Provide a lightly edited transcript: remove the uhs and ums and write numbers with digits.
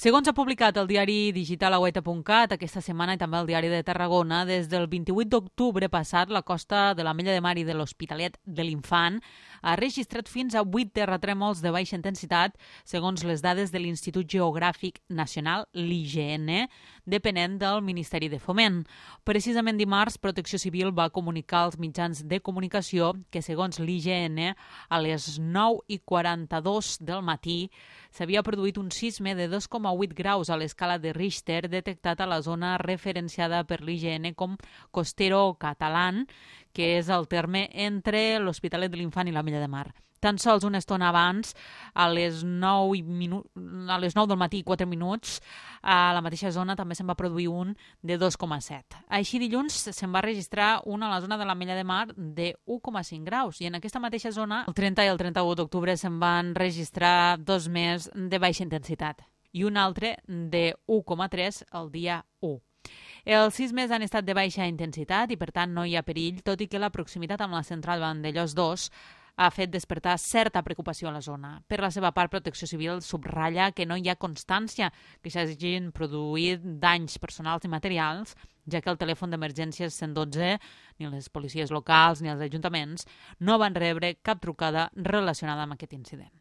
Segons ha publicat el diari digital Agüeta.cat aquesta setmana i també el diari de Tarragona, des del 28 d'octubre passat, la costa de l'Ametlla de Mar i de l'Hospitalet de l'Infant ha registrat fins a 8 terratrèmols de baixa intensitat, segons les dades de l'Institut Geogràfic Nacional, l'IGN, depenent del Ministeri de Foment. Precisament dimarts, Protecció Civil va comunicar als mitjans de comunicació que, segons l'IGN, a les 9:42 del matí s'havia produït un sisme de 2,8 graus a l'escala de Richter detectat a la zona referenciada per l'IGN com Costero Catalán, que és el terme entre l'Hospitalet de l'Infant i l'Ametlla de Mar. Tan sols una estona abans, a les 9 del matí i 4 minuts, a la mateixa zona també se'n va produir un de 2,7. Així dilluns se'n va registrar un a la zona de l'Ametlla de Mar de 1,5 graus i en aquesta mateixa zona, el 30 i el 31 d'octubre, se'n van registrar dos més de baixa intensitat i un altre de 1,3 el dia 1. Els sismes han estat de baixa intensitat i, per tant, no hi ha perill, tot i que la proximitat amb la central Vandellòs 2 ha fet despertar certa preocupació a la zona. Per la seva part, Protecció Civil subratlla que no hi ha constància que s'hagin produït danys personals i materials, ja que el telèfon d'emergències 112, ni les policies locals ni els ajuntaments no van rebre cap trucada relacionada amb aquest incident.